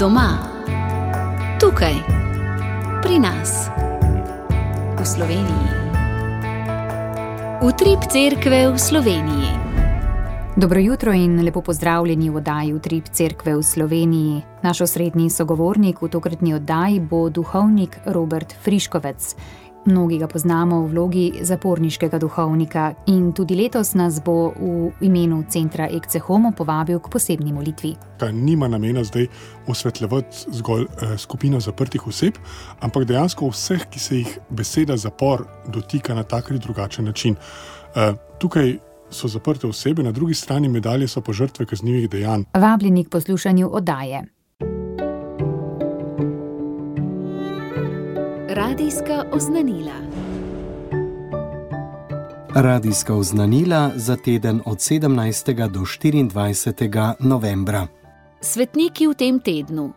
Doma, tukaj, pri nas, v Sloveniji. Utrip cerkve v Sloveniji. Dobro jutro in lepo pozdravljeni v oddaji Utrip cerkve v Sloveniji. Naš osrednji sogovornik v tokratni oddaji bo duhovnik Robert Friškovec. Mnogi ga poznamo v vlogi zaporniškega duhovnika in tudi letos nas bo v imenu centra Ecce Homo povabil k posebni molitvi. Nima namena zdaj osvetljevati zgolj skupino zaprtih oseb, ampak dejansko vseh, ki se jih beseda zapor dotika na tak ali drugačen način. Tukaj so zaprte osebe, na drugi strani medalje so pa žrtve kaznivih dejanj. Vabljeni k poslušanju oddaje. Radijska oznanila. Radijska oznanila za teden od 17. do 24. novembra. Svetniki v tem tednu.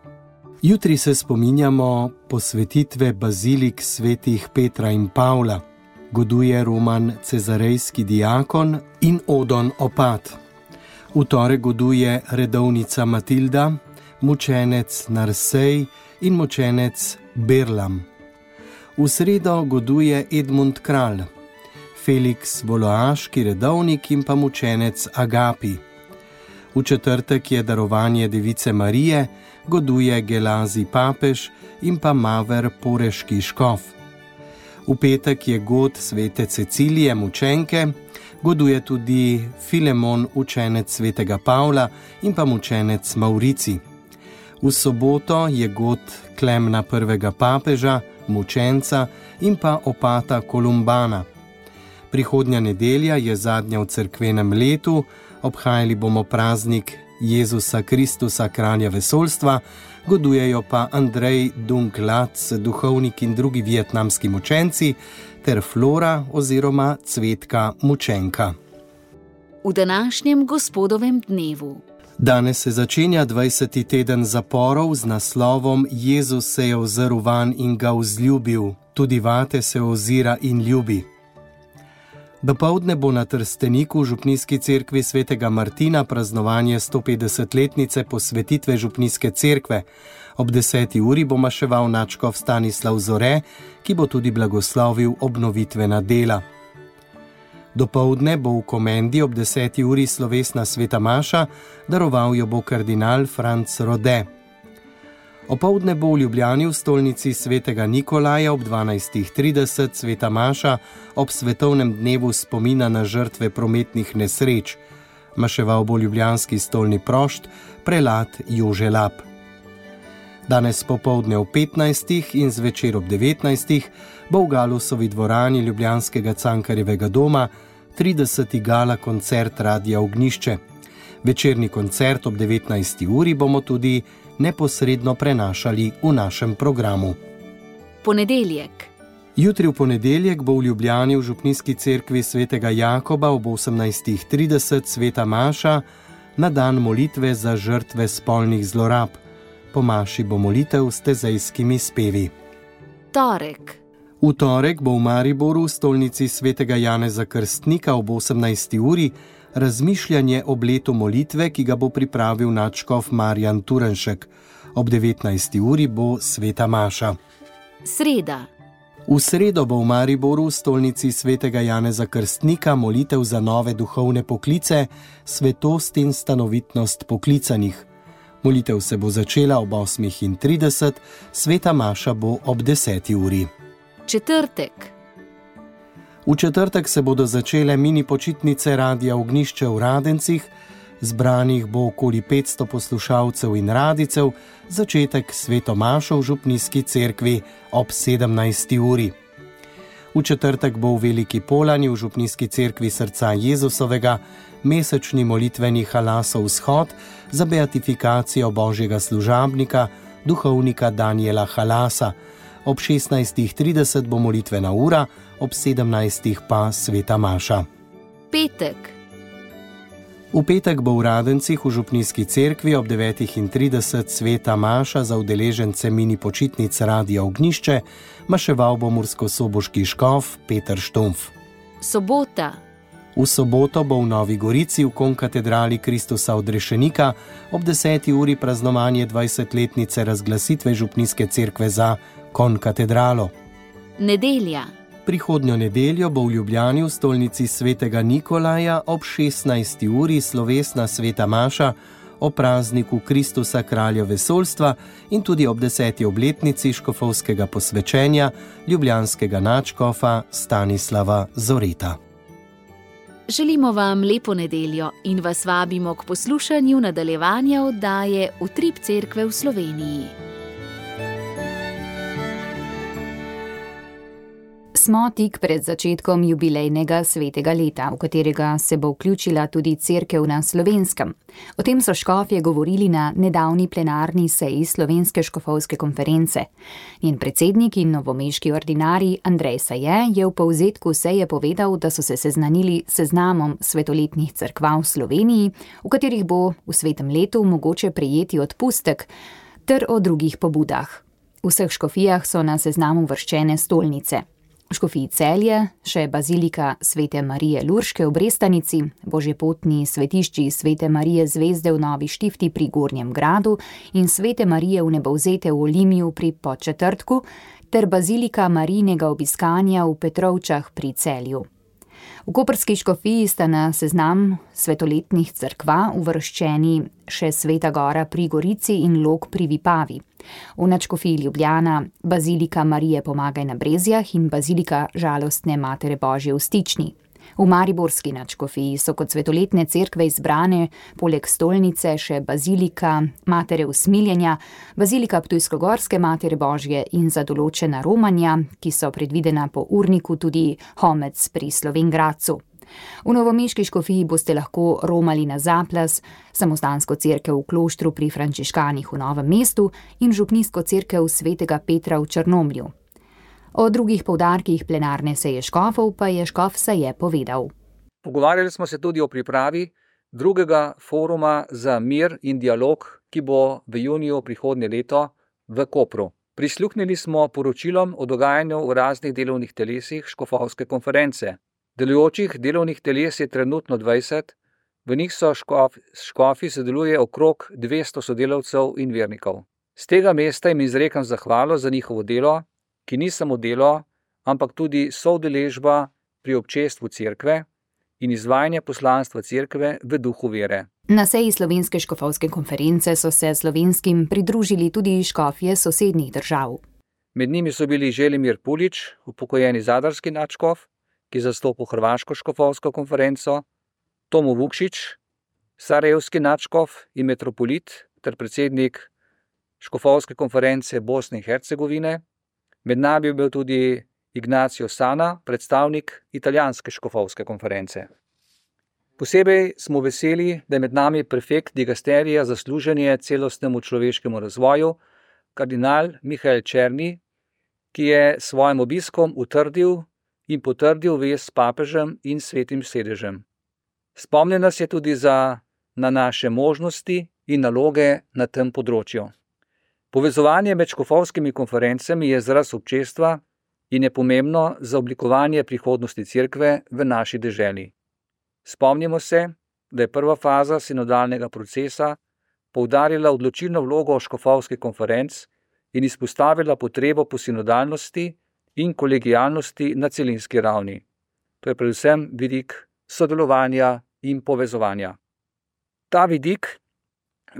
Jutri se spominjamo posvetitve bazilik svetih Petra in Pavla. Goduje Roman Cezarejski diakon in Odon Opat. V torek goduje redovnica Matilda, mučenec Narsej in mučenec Berlam. V sredo goduje Edmund Kralj, Felix Voloaški redovnik in pa mučenec Agapi. V četrtek je darovanje Device Marije, goduje Gelazi papež in pa Maver Poreški škof. V petek je god svete Cecilije mučenke, goduje tudi Filemon učenec svetega Pavla in pa mučenec Maurici. V soboto je god Klemna prvega papeža, mučenca in pa opata Kolumbana. Prihodnja nedelja je zadnja v cerkvenem letu, obhajali bomo praznik Jezusa Kristusa, kralja vesoljstva, godujejo pa Andrej Dung Lac, duhovnik in drugi vietnamski mučenci, ter Flora oziroma Cvetka mučenka. V današnjem gospodovem dnevu. Danes se začenja 20. teden zaporov z naslovom Jezus se je ozrl van in ga vzljubil, tudi vate se ozira in ljubi. Dopoldne bo na Trsteniku v župnijski cerkvi svetega Martina praznovanje 150-letnice posvetitve župnijske cerkve. Ob 10. uri bo maševal nadškof Stanislav Zore, ki bo tudi blagoslovil obnovitvena dela. Dopoldne bo v Komendi ob 10. uri slovesna sveta maša, daroval jo bo kardinal Franc Rode. Opoldne bo v Ljubljani v stolnici svetega Nikolaja ob 12.30 sveta maša ob svetovnem dnevu spomina na žrtve prometnih nesreč. Maševal bo ljubljanski stolni prošt, prelat Jože Lap. Danes popoldne ob 15. in zvečer ob 19. bo v Galusovi dvorani ljubljanskega Cankarjevega doma 30. gala koncert Radia Ognjišče. Večerni koncert ob 19. uri bomo tudi neposredno prenašali v našem programu. Ponedeljek. Jutri v ponedeljek bo v Ljubljani v župnijski cerkvi svetega Jakoba ob 18.30 sveta maša na dan molitve za žrtve spolnih zlorab. Po maši bo molitev s tezejskimi spevi. Torek. V torek bo v Mariboru v stolnici svetega Janeza Krstnika ob 18. uri razmišljanje ob letu molitve, ki ga bo pripravil nadškof Marjan Turenšek. Ob 19. uri bo sveta maša. Sreda. V sredo bo v Mariboru v stolnici svetega Janeza Krstnika molitev za nove duhovne poklice, svetost in stanovitnost poklicanih. Molitev se bo začela ob 8.30, sveta maša bo ob 10. uri. Četrtek. V četrtek se bodo začele mini počitnice Radia Ognjišče v Radencih, zbranih bo okoli 500 poslušalcev in radicev, začetek sveto mašo v župnijski cerkvi ob 17. uri. V četrtek bo v Veliki Polani v župnijski cerkvi srca Jezusovega mesečni molitveni halasov vzhod za beatifikacijo božjega služabnika, duhovnika Daniela Halasa. Ob 16.30 bo molitvena ura, ob 17. pa sveta maša. Petek. V petek bo v Radencih v župnijski cerkvi ob 9.30 sveta maša za udeležence mini počitnic Radia Ognjišče, maševal bo murskosoboški škof Peter Štumpf. Sobota. V soboto bo v Novi Gorici v konkatedrali Kristusa odrešenika ob 10. uri praznovanje 20-letnice razglasitve župnijske cerkve za konkatedralo. Nedelja. Prihodnjo nedeljo bo v Ljubljani v stolnici svetega Nikolaja ob 16. uri slovesna sveta maša o prazniku Kristusa kralja vesoljstva in tudi ob 10. obletnici škofovskega posvečenja ljubljanskega nadškofa Stanislava Zoreta. Želimo vam lepo nedeljo in vas vabimo k poslušanju nadaljevanja oddaje Utrip cerkve v Sloveniji. Smo tik pred začetkom jubilejnega svetega leta, v katerega se bo vključila tudi cerkev na Slovenskem. O tem so škofje govorili na nedavni plenarni seji Slovenske škofovske konference. Njen predsednik in novomeški ordinarij Andrej Saje je v povzetku seje povedal, da so se seznanili s seznamom svetoletnih cerkva v Sloveniji, v katerih bo v svetem letu mogoče prejeti odpustek, ter o drugih pobudah. V vseh škofijah so na seznamu uvrščene stolnice. V škofiji Celje še bazilika Svete Marije Lurške v Brestanici, božjepotni svetišči Svete Marije Zvezde v Novi Štifti pri Gornjem Gradu in Svete Marije Vnebovzete v Olimiju pri Podčetrtku ter bazilika Marijinega obiskanja v Petrovčah pri Celju. V koprski škofiji sta na seznam svetoletnih cerkva uvrščeni še Sveta Gora pri Gorici in Log pri Vipavi. V nadškofiji Ljubljana bazilika Marije Pomagaj na Brezjah in bazilika Žalostne Matere Božje v Stični. V mariborski nadškofiji so kot svetoletne cerkve izbrane poleg stolnice še bazilika Matere Usmiljenja, bazilika Ptujsko-Gorske Matere Božje in za določena romanja, ki so predvidena po urniku tudi Homec pri Slovenj Gradcu. V novomeški škofiji boste lahko romali na Zaplas, samostansko cerkev v Kloštru pri Frančiškanih v Novem mestu in župnijsko cerkev Svetega Petra v Črnomlju. O drugih poudarkih plenarne seje škofov pa je škof Saje povedal. Pogovarjali smo se tudi o pripravi drugega foruma za mir in dialog, ki bo v juniju prihodnje leto v Kopru. Prisluhnili smo poročilom o dogajanju v raznih delovnih telesih škofovske konference. Delujočih delovnih teles je trenutno 20, v njih so škofi sodeluje okrog 200 sodelavcev in vernikov. Z tega mesta jim izrekam zahvalo za njihovo delo, ki ni samo delo, ampak tudi soudeležba pri občestvu cerkve in izvajanje poslanstva cerkve v duhu vere. Na seji Slovenske škofovske konference so se slovenskim pridružili tudi škofje sosednjih držav. Med njimi so bili Želimir Pulič, upokojeni zadarski nadškof, ki zastopa Hrvaško škofovsko konferenco, Tomo Vukšić, sarajevski nadškof in metropolit ter predsednik škofovske konference Bosne in Hercegovine. Med nami je bil tudi Ignacio Sana, predstavnik italijanske škofovske konference. Posebej smo veseli, da je med nami prefekt digasterija za služenje celostnemu človeškemu razvoju, kardinal Mihael Černi, ki je svojim obiskom utrdil in potrdil vez s papežem in svetim sedežem. Spomnil nas je tudi na naše možnosti in naloge na tem področju. Povezovanje med škofovskimi konferencami je izraz občestva in je pomembno za oblikovanje prihodnosti cerkve v naši deželi. Spomnimo se, da je prva faza sinodalnega procesa poudarila odločilno vlogo škofovskih konferenc in izpostavila potrebo po sinodalnosti in kolegialnosti na celinski ravni. To je predvsem vidik sodelovanja in povezovanja. Ta vidik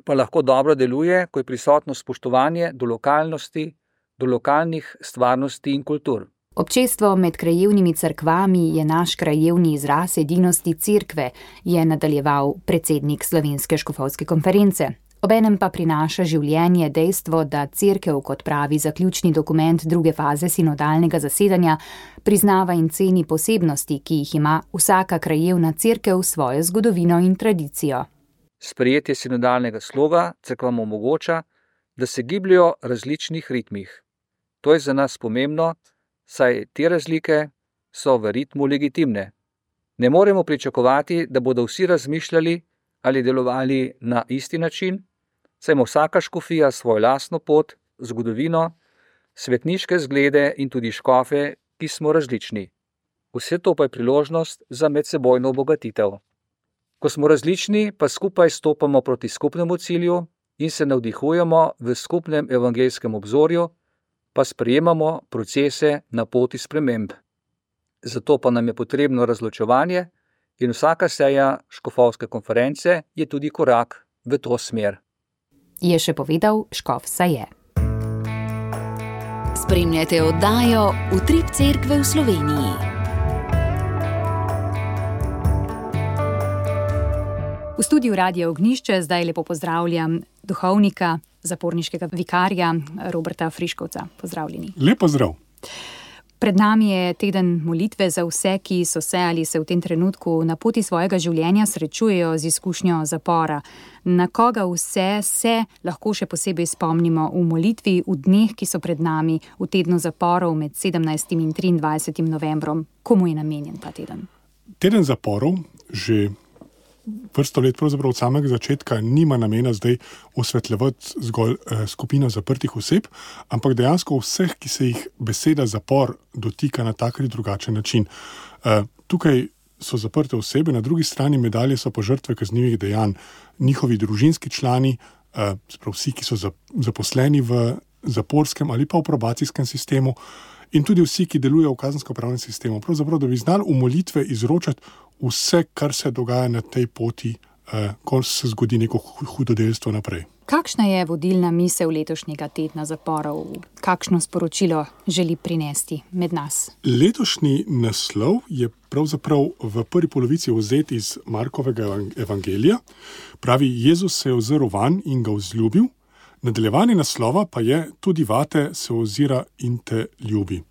pa lahko dobro deluje, ko je prisotno spoštovanje do lokalnosti, do lokalnih stvarnosti in kultur. Občestvo med krajevnimi cerkvami je naš krajevni izraz edinosti cerkve, je nadaljeval predsednik Slovenske škofovske konference. Obenem pa prinaša življenje dejstvo, da cerkev, kot pravi zaključni dokument druge faze sinodalnega zasedanja, priznava in ceni posebnosti, ki jih ima vsaka krajevna cerkev svojo zgodovino in tradicijo. Sprejetje sinodalnega sloga cerkvam omogoča, da se gibljajo v različnih ritmih. To je za nas pomembno, saj te razlike so v ritmu legitimne. Ne moremo pričakovati, da bodo vsi razmišljali ali delovali na isti način, saj ima vsaka škofija svojo lastno pot, zgodovino, svetniške zglede in tudi škofe, ki smo različni. Vse to pa je priložnost za medsebojno obogatitev. Ko smo različni, pa skupaj stopamo proti skupnemu cilju in se navdihujemo v skupnem evangelskem obzorju, pa sprejemamo procese na poti sprememb. Zato pa nam je potrebno razločevanje in vsaka seja škofovske konference je tudi korak v to smer. Je še povedal škof Saje. Spremljate oddajo Utrip Cerkve v Sloveniji. V studiu Radia Ognjišče zdaj lepo pozdravljam duhovnika, zaporniškega vikarja Roberta Friškovca. Pozdravljeni. Lep pozdrav. Pred nami je teden molitve za vse, ki so se ali se v tem trenutku na poti svojega življenja srečujejo z izkušnjo zapora. Na koga vse se lahko še posebej spomnimo v molitvi v dneh, ki so pred nami, v tednu zaporov med 17. in 23. novembrom? Komu je namenjen ta teden? Teden zaporov že vrsto let, pravzaprav od samega začetka, nima namena zdaj osvetljevati zgolj skupino zaprtih oseb, ampak dejansko vseh, ki se jih beseda zapor dotika na tak ali drugačen način. Tukaj so zaprte osebe, na drugi strani medalje so pa žrtve kaznivih dejanj, njihovi družinski člani, vsi, ki so zaposleni v zaporskem ali pa v probacijskem sistemu, in tudi vsi, ki delujejo v kazensko-pravnem sistemu. Pravzaprav, da bi znali v molitve izročati vse, kar se dogaja na tej poti, ko se zgodi neko hudodelstvo naprej. Kakšna je vodilna misel letošnjega tedna zaporov? Kakšno sporočilo želi prinesti med nas? Letošnji naslov je pravzaprav v prvi polovici vzet iz Markovega evangelija. Pravi, Jezus se je ozrl vanj in ga vzljubil. Nadaljevanje naslova pa je tudi vate se ozira in te ljubi.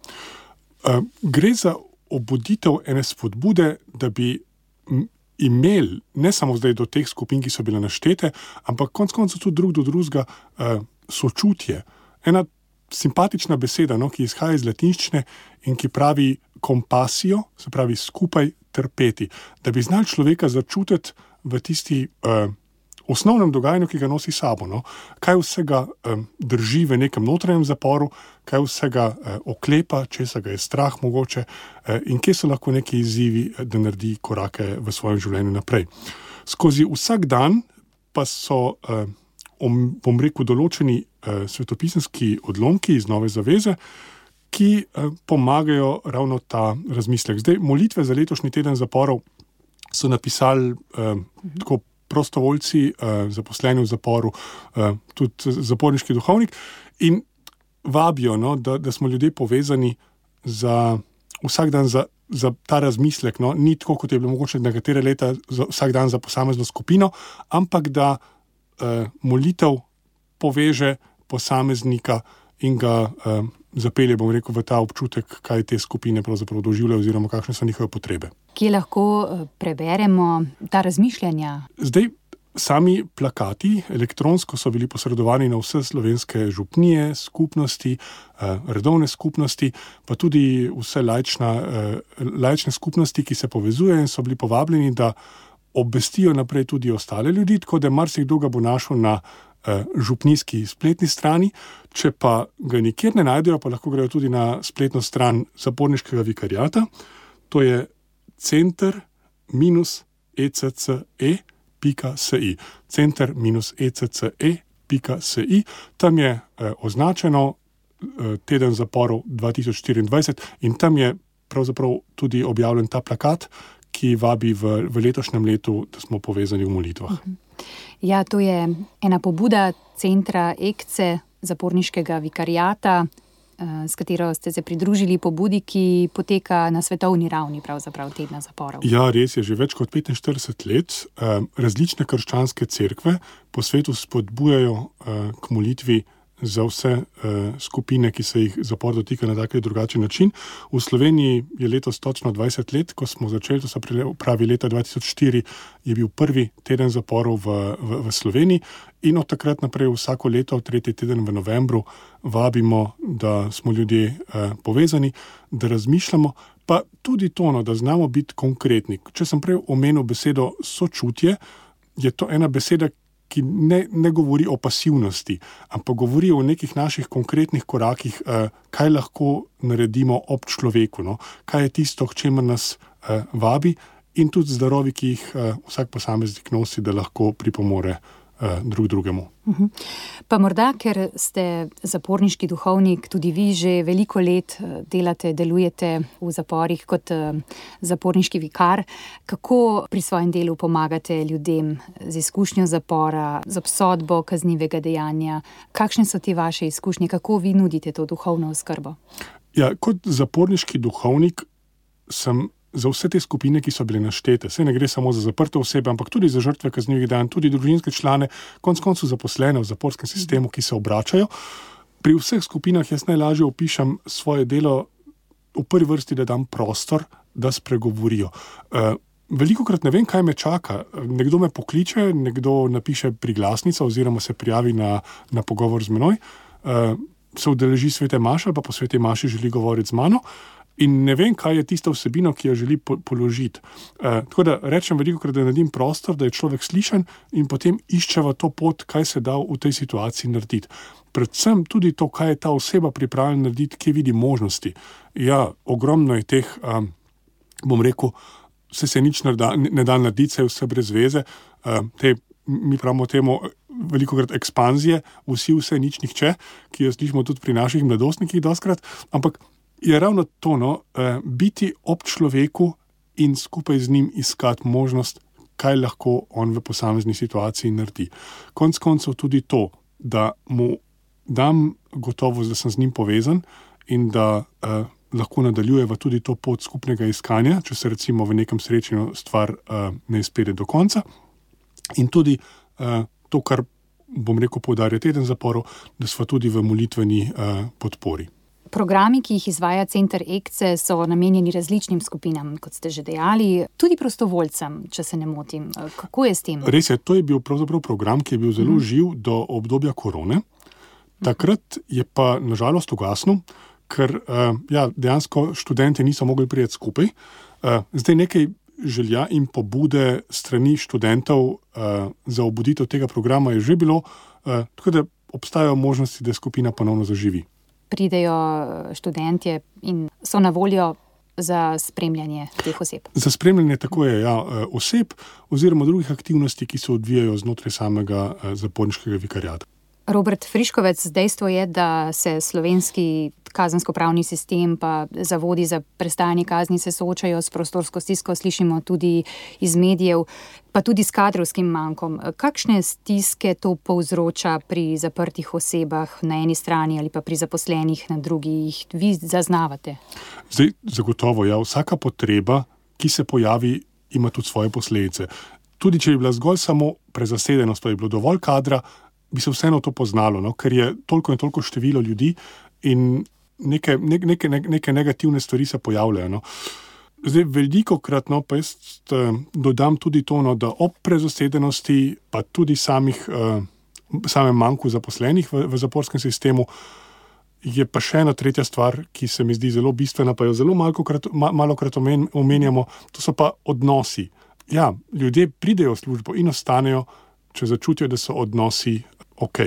Gre za obuditev ene spodbude, da bi imeli ne samo zdaj do teh skupin, ki so bile naštete, ampak konec koncev tudi drug do drugega sočutje. Ena simpatična beseda, ki izhaja iz latinščine in ki pravi kompasijo, se pravi skupaj trpeti. Da bi znali človeka začutiti v tisti osnovnem dogajanju, ki ga nosi sabo. Kaj vsega drži v nekem notranjem zaporu, kaj vsega oklepa, česa ga je strah mogoče in kje so lahko neki izzivi, da naredi korake v svojem življenju naprej. Skozi vsak dan pa so, bom rekel, določeni svetopisemski odlomki iz Nove zaveze, ki pomagajo ravno ta razmislek. Zdaj, molitve za letošnji teden zaporov so napisali tako prostovoljci, zaposleni v zaporu, tudi zaporniški duhovnik in vabijo, da smo ljudje povezani za vsak dan za ta razmislek. Ni tako, kot je bilo mogoče nekatere leta za vsak dan za posamezno skupino, ampak da molitev poveže posameznika in ga zapelje, bom rekel, v ta občutek, kaj te skupine pravzaprav doživljajo oziroma kakšne so njihove potrebe. Kje lahko preberemo ta razmišljanja? Zdaj, sami plakati elektronsko so bili posredovani na vse slovenske župnije, skupnosti, redovne skupnosti, pa tudi vse laične skupnosti, ki se povezujejo in so bili povabljeni, da obvestijo naprej tudi ostale ljudi, tako da marsikdo ga bo našel na župnijski spletni strani. Če pa ga nikjer ne najdejo, pa lahko grejo tudi na spletno stran zaporniškega vikariata. To je center-ecce.si. center-ecce.si. Tam je označeno teden zaporov 2024 in tam je pravzaprav tudi objavljen ta plakat, ki vabi v letošnjem letu, da smo povezani v molitvah. Ja, to je ena pobuda centra ECCE, zaporniškega vikariata, s katero ste se pridružili pobudi, ki poteka na svetovni ravni, pravzaprav tedna zaporov. Ja, res je, že več kot 45 let različne krščanske cerkve po svetu spodbujajo k molitvi za vse skupine, ki se jih zapor dotika na tak ali drugačen način. V Sloveniji je letos točno 20 let, ko smo začeli, to se pravi leta 2004, je bil prvi teden zaporov v Sloveniji in od takrat naprej vsako leto, tretji teden v novembru, vabimo, da smo ljudje povezani, da razmišljamo, pa tudi to, da znamo biti konkretni. Če sem prej omenil besedo sočutje, je to ena beseda, ki ne govori o pasivnosti, ampak govori o nekih naših konkretnih korakih, kaj lahko naredimo ob človeku, no? Kaj je tisto, k čemer nas vabi, in tudi zdarovi, ki jih vsak posameznik nosi, da lahko pripomore drug drugemu. Pa morda, ker ste zaporniški duhovnik, tudi vi že veliko let delujete v zaporih kot zaporniški vikar. Kako pri svojem delu pomagate ljudem z izkušnjo zapora, z obsodbo kaznivega dejanja? Kakšne so te vaše izkušnje? Kako vi nudite to duhovno oskrbo? Ja, kot zaporniški duhovnik sem za vse te skupine, ki so bile naštete. Saj ne gre samo za zaprte osebe, ampak tudi za žrtve kaznivih dejanj, tudi družinske člane, konec koncev zaposlene v zaporskem sistemu, ki se obračajo. Pri vseh skupinah jaz najlažje opišem svoje delo v prvi vrsti, da dam prostor, da spregovorijo. Velikokrat ne vem, kaj me čaka. Nekdo me pokliče, nekdo napiše priglasnico oziroma se prijavi na pogovor z menoj, se udeleži svete maše ali pa po sveti maši želi govoriti z mano. In ne vem, kaj je tista vsebina, ki jo želi položiti. Tako da rečem velikokrat, da naredim prostor, da je človek slišan in potem iščeva to pot, kaj se da v tej situaciji narediti. Predvsem tudi to, kaj je ta oseba pripravljena narediti, kje vidi možnosti. Ja, ogromno je teh, bom rekel, se nič ne da narediti, se je vse brez veze. Mi pravimo temu velikokrat ekspanzije, vse, nič, nihče, ki jo slišimo tudi pri naših mladostnikih doskrat, ampak je ravno to, biti ob človeku in skupaj z njim iskati možnost, kaj lahko on v posamezni situaciji naredi. Konec koncev tudi to, da mu dam gotovost, da sem z njim povezan in da lahko nadaljujeva tudi to pot skupnega iskanja, če se recimo v nekem srečanju stvar ne izpelje do konca. In tudi to, kar bom rekel poudarja teden zaporov, da smo tudi v molitveni podpori. Programi, ki jih izvaja Center Ekce, so namenjeni različnim skupinam, kot ste že dejali, tudi prostovoljcem, če se ne motim. Kako je s tem? Res je, to je bil pravzaprav program, ki je bil zelo živ do obdobja korone. Takrat je pa nažalost ugasnil, ker dejansko študenti niso mogli priti skupaj. Zdaj nekaj želja in pobude strani študentov za obuditev tega programa je že bilo, tako da obstajajo možnosti, da skupina ponovno zaživi. Pridejo študentje in so na voljo za spremljanje teh oseb? Za spremljanje tako je, oseb oziroma drugih aktivnosti, ki se odvijajo znotraj samega zaporniškega vikariata. Robert Friškovec, dejstvo je, da se slovenski kazensko-pravni sistem pa zavodi za prestajanje kazni se soočajo s prostorsko stisko, slišimo tudi iz medijev, pa tudi s kadrovskim mankom. Kakšne stiske to povzroča pri zaprtih osebah na eni strani ali pa pri zaposlenih na drugi, jih vi zaznavate? Zdaj, zagotovo, vsaka potreba, ki se pojavi, ima tudi svoje posledice. Tudi če je bila zgolj samo prezasedenost, to je bilo dovolj kadra, bi se vseeno to poznalo, ker je toliko in toliko število ljudi in neke negativne stvari se pojavljajo. Zdaj, velikokrat pa jaz dodam tudi to, da ob prezasedenosti, pa tudi samem manku zaposlenih v zaporskem sistemu, je pa še ena tretja stvar, ki se mi zdi zelo bistvena, pa jo zelo malokrat omenjamo, to so pa odnosi. Ja, ljudje pridejo v službo in ostanejo, če začutijo, da so odnosi ok.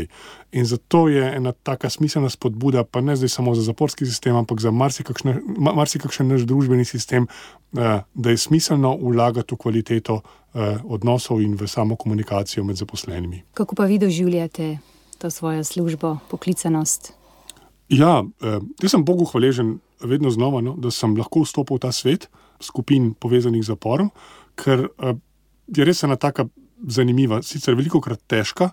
In zato je ena taka smiselna spodbuda, pa ne zdaj samo za zaporski sistem, ampak za marsikakšen naš družbeni sistem, da je smiselno vlagati v kvaliteto odnosov in v samo komunikacijo med zaposlenimi. Kako pa vi doživljate to svojo službo, poklicanost? Ja, jaz sem Bogu hvaležen vedno znova, da sem lahko vstopil v ta svet skupin povezanih z zaporom, ker je res ena taka zanimiva, sicer velikokrat težka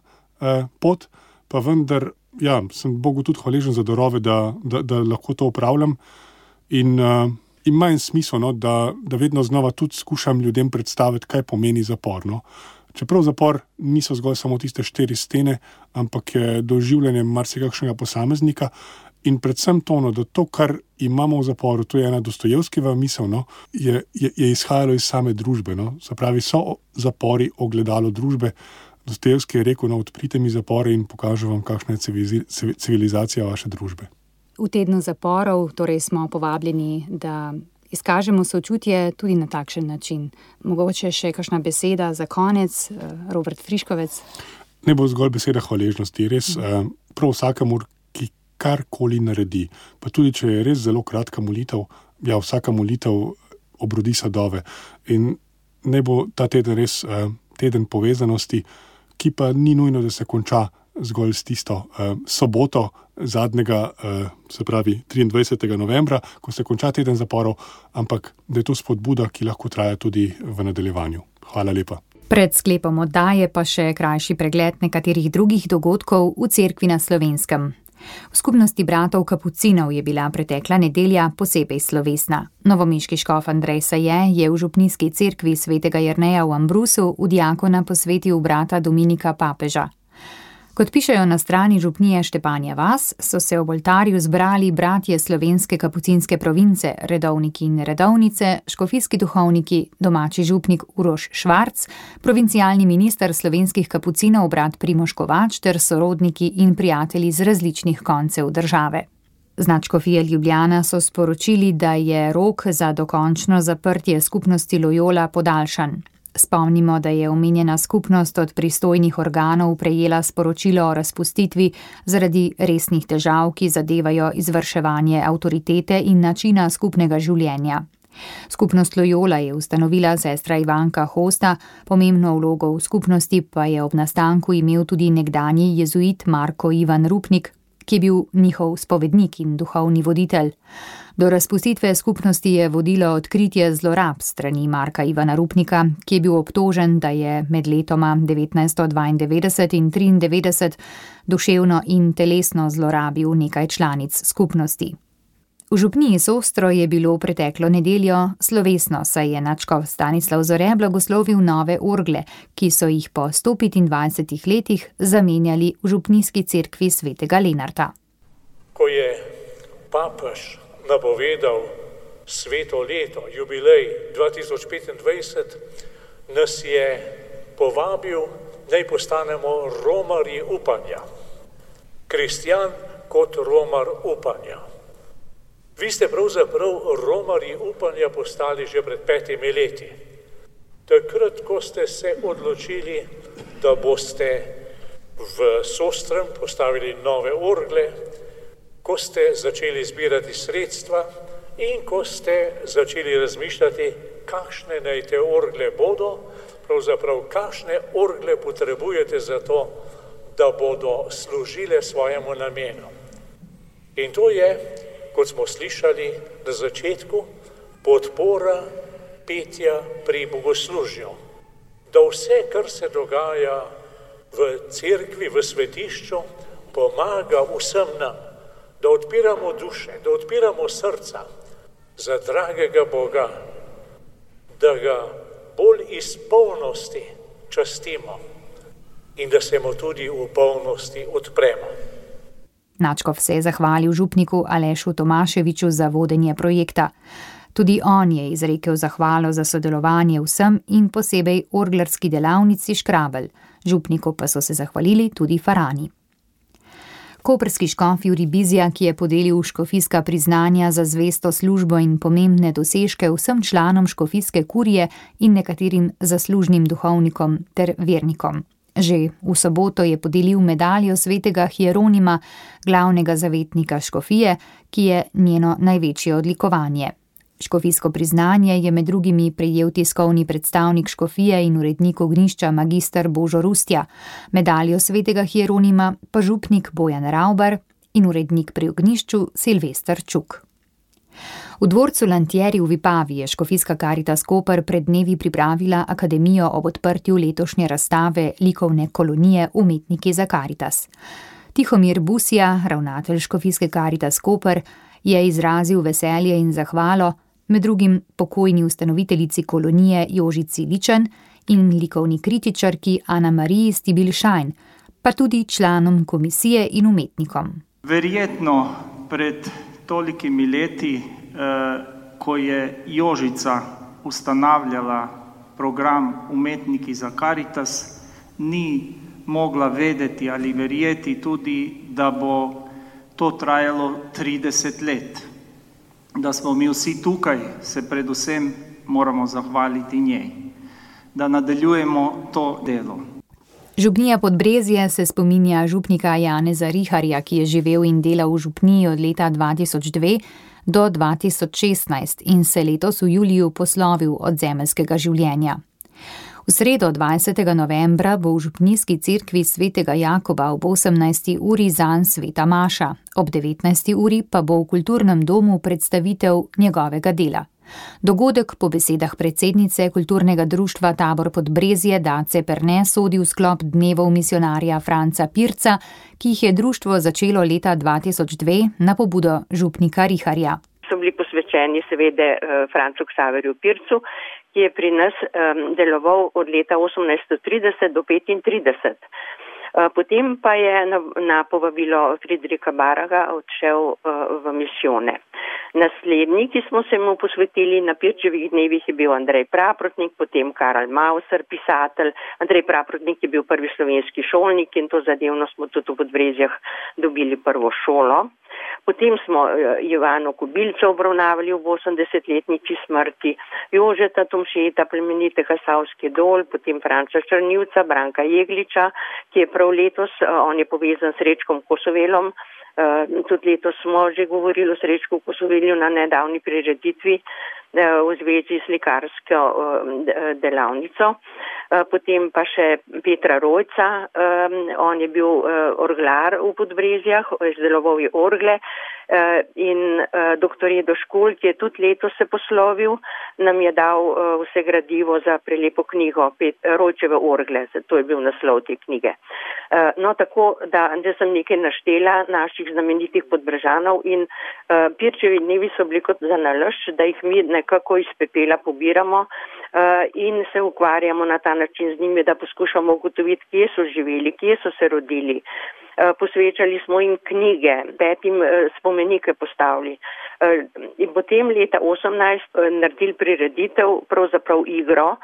pot, pa vendar, sem Bogu tudi hvaležen za darove, da lahko to opravljam in ima en smisel, da vedno znova tudi skušam ljudem predstaviti, kaj pomeni zapor. Čeprav zapor niso zgolj samo tiste 4 stene, ampak je doživljanje marsikakšnega posameznika in predvsem to, da to, kar imamo v zaporu, to je ena Dostojevskijeva misel, je izhajalo iz same družbe. Se pravi, so zapori ogledalo družbe. Dostojevski je rekel, odprite mi zapore in pokažem vam, kakšna je civilizacija vaše družbe. V tednu zaporov torej smo povabljeni, da izkažemo sočutje tudi na takšen način. Mogoče še kakšna beseda za konec, Robert Friškovec? ne bo zgolj beseda hvaležnosti, res prav vsakamur, ki karkoli naredi. Pa tudi, če je res zelo kratka molitev, vsaka molitev obrodi sadove. In ne bo ta teden res teden povezanosti, ki pa ni nujno, da se konča zgolj s tisto soboto zadnjega, se pravi 23. novembra, ko se konča teden zaporov, ampak da je to spodbuda, ki lahko traja tudi v nadaljevanju. Hvala lepa. Pred sklepom oddaje pa še krajši pregled nekaterih drugih dogodkov v cerkvi na Slovenskem. V skupnosti bratov Kapucinov je bila pretekla nedelja posebej slovesna. Novomeški škof Andrej Saje je v župnijski cerkvi svetega Jerneja v Ambrusu v diakona posvetil brata Dominika Papeža. Kot pišejo na strani župnije Štepanja vas, so se ob oltarju zbrali bratje slovenske kapucinske province, redovniki in redovnice, škofijski duhovniki, domači župnik Uroš Švarc, provincialni minister slovenskih kapucinov brat Primož Kovač ter sorodniki in prijatelji z različnih koncev države. Z nadškofije Ljubljana so sporočili, da je rok za dokončno zaprtje skupnosti Loyola podaljšan. Spomnimo, da je omenjena skupnost od pristojnih organov prejela sporočilo o razpustitvi zaradi resnih težav, ki zadevajo izvrševanje avtoritete in načina skupnega življenja. Skupnost Loyola je ustanovila sestra Ivanka Hosta, pomembno vlogo v skupnosti pa je ob nastanku imel tudi nekdanji jezuit Marko Ivan Rupnik, ki je bil njihov spovednik in duhovni voditelj. Do razpustitve skupnosti je vodilo odkritje zlorab strani Marka Ivana Rupnika, ki je bil obtožen, da je med letoma 1992 in 1993 duševno in telesno zlorabil nekaj članic skupnosti. V župniji Sostro je bilo preteklo nedeljo slovesno, saj je nadškof Stanislav Zore blagoslovil nove orgle, ki so jih po 125 letih zamenjali v župnijski cerkvi svetega Lenarta. Ko je papež napovedal sveto leto, jubilej 2025, nas je povabil, naj postanemo romarji upanja. Kristjan kot romar upanja. Vi ste pravzaprav romarji upanja postali že pred 5 leti. Takrat, ko ste se odločili, da boste v Sostrem postavili nove orgle, ko ste začeli zbirati sredstva in ko ste začeli razmišljati, kakšne naj te orgle bodo, pravzaprav kakšne orgle potrebujete za to, da bodo služile svojemu namenu. In to je, kot smo slišali na začetku, podpora petja pri bogoslužju. Da vse, kar se dogaja v cerkvi, v svetišču, pomaga vsem nam, da odpiramo duše, da odpiramo srca za dragega Boga, da ga bolj iz polnosti častimo in da se mu tudi v polnosti odpremo. Nadškof se je zahvalil župniku Alešu Tomaševiču za vodenje projekta. Tudi on je izrekel zahvalo za sodelovanje vsem in posebej orglarski delavnici Škrabelj. Župniku pa so se zahvalili tudi farani. Koprski škof Jurij Bizjak je podelil škofijska priznanja za zvesto službo in pomembne dosežke vsem članom škofijske kurije in nekaterim zaslužnim duhovnikom ter vernikom. Že v soboto je podelil medaljo svetega Hieronima, glavnega zavetnika škofije, ki je njeno največje odlikovanje. Škofijsko priznanje je med drugimi prejel tiskovni predstavnik škofije in urednik ognjišča magister Božo Rustja, medaljo svetega Hieronima pa župnik Bojan Ravbar in urednik pri ognjišču Silvester Čuk. V dvorcu Lantieri v Vipavi je škofijska Karitas Koper pred dnevi pripravila akademijo ob odprtju letošnje razstave likovne kolonije Umetniki za Karitas. Tihomir Busija, ravnatelj škofijske Karitas Koper, je izrazil veselje in zahvalo med drugim pokojni ustanoviteljici kolonije Jožici Ličen in likovni kritičarki Ana Mariji Stibil-Šajn, pa tudi članom komisije in umetnikom. Verjetno pred tolikimi leti, ko je Jožica ustanavljala program Umetniki za Karitas, ni mogla vedeti ali verjeti tudi, da bo to trajalo 30 let. Da smo mi vsi tukaj, se predvsem moramo zahvaliti njej, da nadaljujemo to delo. Župnija Podbrezje se spominja župnika Janeza Riharja, ki je živel in delal v župniji od leta 2002 do 2016 in se letos v juliju poslovil od zemeljskega življenja. V sredo 20. novembra bo v župnijski cerkvi svetega Jakoba ob 18. uri zanj sveta maša, ob 19. uri pa bo v kulturnem domu predstavitev njegovega dela. Dogodek po besedah predsednice kulturnega društva Tabor Podbrezje Dace Perne sodi v sklop dnevov misionarja Franca Pirca, ki jih je društvo začelo leta 2002 na pobudo župnika Riharja. So bili posvečeni seveda Francu Ksaverju Pircu, ki je pri nas deloval od leta 1830 do 35. Potem pa je na povabilo Friedricha Baraga odšel v misijone. Naslednji, ki smo se mu posvetili na Pirčevih dnevih, je bil Andrej Praprotnik, potem Karl Mauser, pisatelj. Andrej Praprotnik je bil prvi slovenski šolnik in to zadevno smo tudi v Podbrezjah dobili prvo šolo. Potem smo Ivano Kobilca obravnavali v 80-letnici smrti, Jožeta Tomšeta, plemenitega Savski dol, potem Franca Črnivca, Branka Jegliča, ki je prav letos, on je povezan s Srečkom Kosovelom. Tudi letos smo že govorili o Srečku Kosovelju na nedavni prireditvi v zvezi s slikarsko delavnico. Potem pa še Petra Rojca, on je bil orglar v Podbrezjah, izdeloval je orgle in doktor Edo Škulj, ki je tudi letos se poslovil, nam je dal vse gradivo za prelepo knjigo Rojčeve orgle, to je bil naslov te knjige. No tako, da sem nekaj naštela naših znamenitih Podbrežanov in Pirčevi dnevi so bili kot za nalašč, da jih mi nekako iz pepela pobiramo in se ukvarjamo na ta način z njimi, da poskušamo ugotoviti, kje so živeli, kje so se rodili. Posvečali smo jim knjige, 5 spomenike postavili. In potem leta 18 naredili prireditev, pravzaprav igro.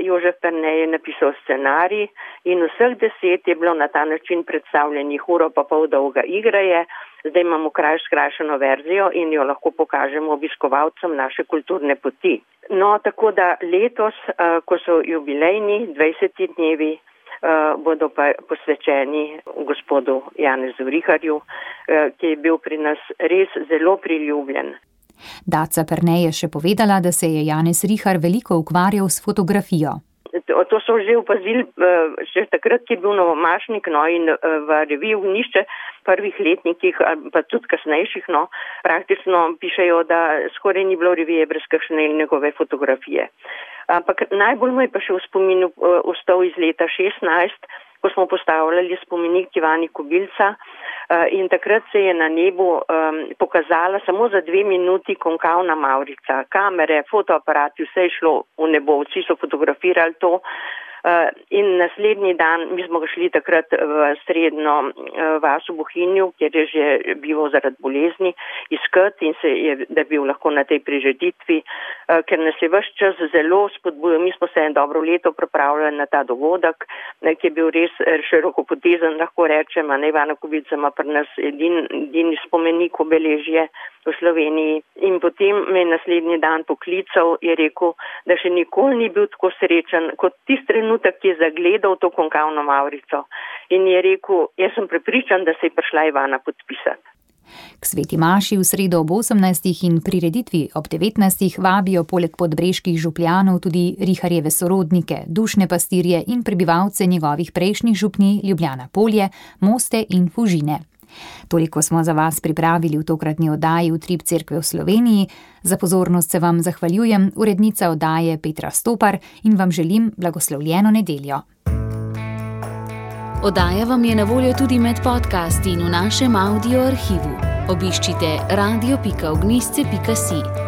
Jožef Perne je napisal scenarij in vseh 10 je bilo na ta način predstavljenih, uro pa pol dolga igra je. Zdaj imamo skrajšano verzijo in jo lahko pokažemo obiskovalcem naše kulturne poti. No, tako da letos, ko so jubilejni 20 dnevi, bodo pa posvečeni gospodu Janezu Riharju, ki je bil pri nas res zelo priljubljen. Daca Perne je še povedala, da se je Janez Rihar veliko ukvarjal s fotografijo. To so že opazili še takrat, ki je bil novomašnik, no, in v reviji Nišče prvih letnikih, pa tudi kasnejših, no, praktično pišejo, da skoraj ni bilo revije brez kakšne njegove fotografije. Ampak najbolj mu je pa še v spominu ostal iz leta 16, ko smo postavljali spomenik Ivani Kobilca in takrat se je na nebu pokazala samo za 2 minuti konkavna mavrica. Kamere, fotoaparati, vse je šlo v nebo, vsi so fotografirali to. In naslednji dan, mi smo ga šli takrat v srednjo vas v Bohinju, kjer je že bival zaradi bolezni, iskati in da je bil lahko na tej prireditvi, ker nas je ves čas zelo spodbujal. Mi smo se dobro leto pripravljali na ta dogodek, ki je bil res širokopotezen, lahko rečem, a ne Ivana Kobilca ima pri nas edini spomenik obeležje v Sloveniji. In potem me je naslednji dan poklical, je rekel, da še nikoli ni bil tako srečen kot tisti trenutek, ki je zagledal to konkavno mavrico. In je rekel, jaz sem prepričan, da se je prišla Ivana podpisati. K sveti maši v sredo ob 18. in prireditvi ob 19. vabijo poleg podbreških župljanov tudi Riharjeve sorodnike, dušne pastirje in prebivalce njegovih prejšnjih župnij Ljubljana Polje, Moste in Fužine. Toliko smo za vas pripravili v tokratni oddaji Utrip cerkve v Sloveniji. Za pozornost se vam zahvaljujem, urednica oddaje Petra Stopar, in vam želim blagoslovljeno nedeljo. Oddaja vam je na voljo tudi med podcasti in v našem audio arhivu. Obiščite radio.ognisce.si.